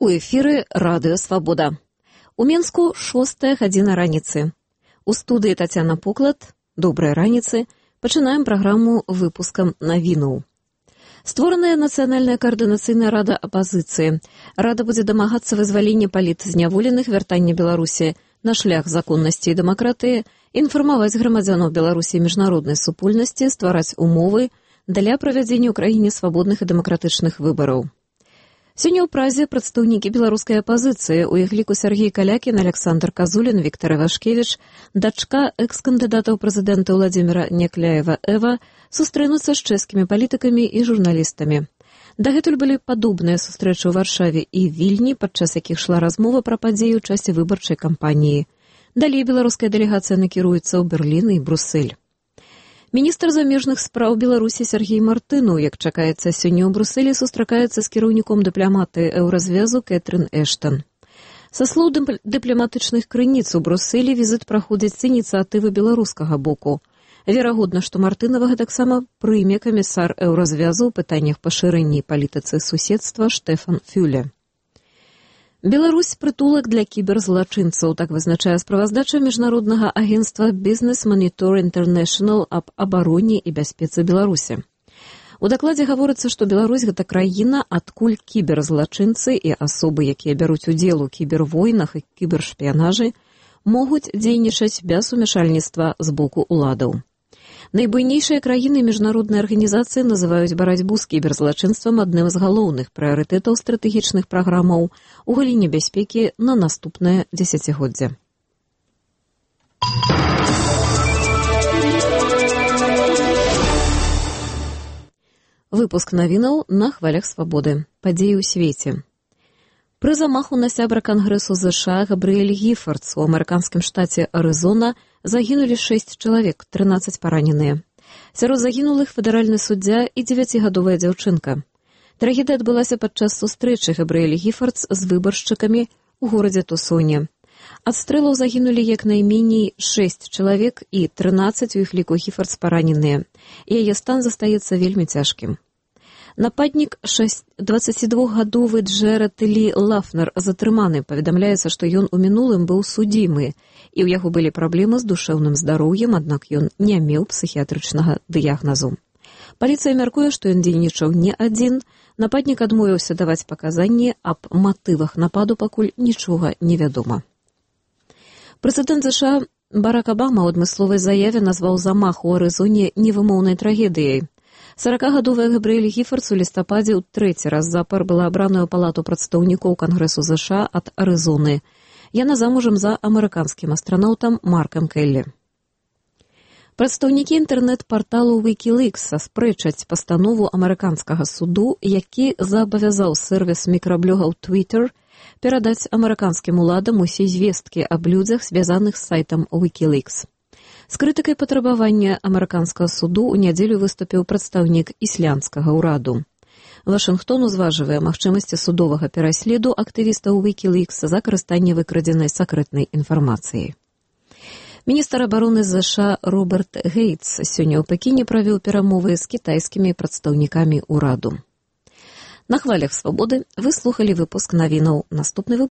У эфіры Радыё Свабода. У Менску 6 гадзіна раніцы. У студыі Тацяна Поклад. Добрай раніцы. Пачынаем праграму выпускам навінаў. Створаная Нацыянальная каардынацыйная рада апазіцыі. Рада будзе дамагацца вызвалення палітзняволеных, вяртання Беларусі на шлях законнасці і дэмакратыі, інфармаваць грамадзянаў Беларусі і міжнароднай супольнасці, ствараць умовы для правядзення ў краіне свабодных і дэмакратычных выбараў. Сёння ў Празе прадстаўнікі беларускай апазіцыі, у іх ліку Сергей Калякін, Александр Казулін, Віктор Івашкевіч, дачка экс-кандыдата ў прэзідэнты Владзіміра Някляева Эва, сустрэнуцца з чэшскімі палітыкамі і журналістамі. Дагэтуль былі падобныя сустрэчы ў Варшаве і Вільні, падчас якіх шла размова пра падзеі ў часе выбарчай кампаніі. Далей беларуская дэлегацыя накіруецца ў Берлін і Брусэль. Міністр замежных спраў Беларусі Сергей Мартынаў, як чакаецца сёння ў Брусэлі, сустракаецца з кіраўніком дыпламатыі Еўразвязу Кэтрын Эштан. Са слоў дыпламатычных крыніц у Брусэлі візіт праходзіць з ініцыятывы беларускага боку. Верагодна, што Мартынава гэтаксама прыме камісар Еўразвязу ў пытаннях пашырэння і палітыцы суседства Штэфан Фюле. Беларусь – прытулак для кіберзлачынцаў, так вызначае справаздача міжнароднага агенцтва Business Monitor International аб абароне і бяспецы Беларусі. У дакладзе гаворыцца, што Беларусь – гэта краіна, адкуль кіберзлачынцы і асобы, якія бяруць удзел у кібервойнах і кібершпіянажы, могуць дзейнічаць без умяшальніцтва з боку ўладаў. Найбуйнейшыя краіны міжнароднай арганізацыі называюць барацьбу з кіберзлачынствам адным з галоўных прыярытэтаў стратэгічных праграмаў у галіне бяспекі на наступнае дзесяцігоддзе. Выпуск навінаў на хвалях свабоды. Падзеі ў свеце. Пры замаху на сябра Кангрэсу ЗША Габрыэль Гіфардс у амерыканскім штаце Арызона загінулі 6 чалавек, 13 параненыя. Сярод загінулых федэральны суддзя і 9гадовая дзяўчынка. Трагедыя адбылася падчас сустрэчы Габрыэль Гіфардс з выбаршчыкамі ў горадзе Тусоне. Ад стрэлаў загінулі як найменей 6 чалавек і 13 у іх ліку Гіфардс параненыя. Яе стан застаецца вельмі цяжкім. Нападнік 22гадовы Джэрад Лі Лафнер затрыманы. Паведамляецца, што ён у мінулым быў судзімы, і ў яго былі праблемы з душэўным здароўем, аднак ён не меў псіхіятрычнага дыягназу. Паліцыя мяркуе, што ён дзейнічаў не адзін. Нападнік адмовіўся даваць паказанні, аб матывах нападу пакуль нічога не вядома. Прэзідэнт ЗША Барак Абама ў адмысловай заяве назваў замах у Арызоне невымоўнай трагедыяй. 40гадовая Габрыэль Гіфардс у лістападзе ў 3 раз запар была абраная ў палату прадстаўнікоў Кангрэсу ЗША ад Арызоны. Яна замужам за амерыканскім астранаўтам Маркам Келлі. Прадстаўнікі інтэрнэт-парталу Wikileaks спрэчаць пастанову амерыканскага суду, які заабавязаў сервіс мікраблогаў Twitter перадаць амерыканскім уладам усе звесткі аб людзях, звязаных з сайтам Wikileaks. З крытыкай патрабавання амерыканскага суду ў нядзелю выступіў прадстаўнік ісландскага ўраду. Вашынгтон узважвае магчымасці судовага пераследу актывістаў Wikileaks за карыстанне выкрадзенай сакрэтнай інфармацыяй. Міністр абароны ЗША Роберт Гейтс сёння ў Пекіне правёў перамовы з кітайскімі прадстаўнікамі ўраду. На хвалях свабоды вы слухалі выпуск навінаў. Наступны выпуск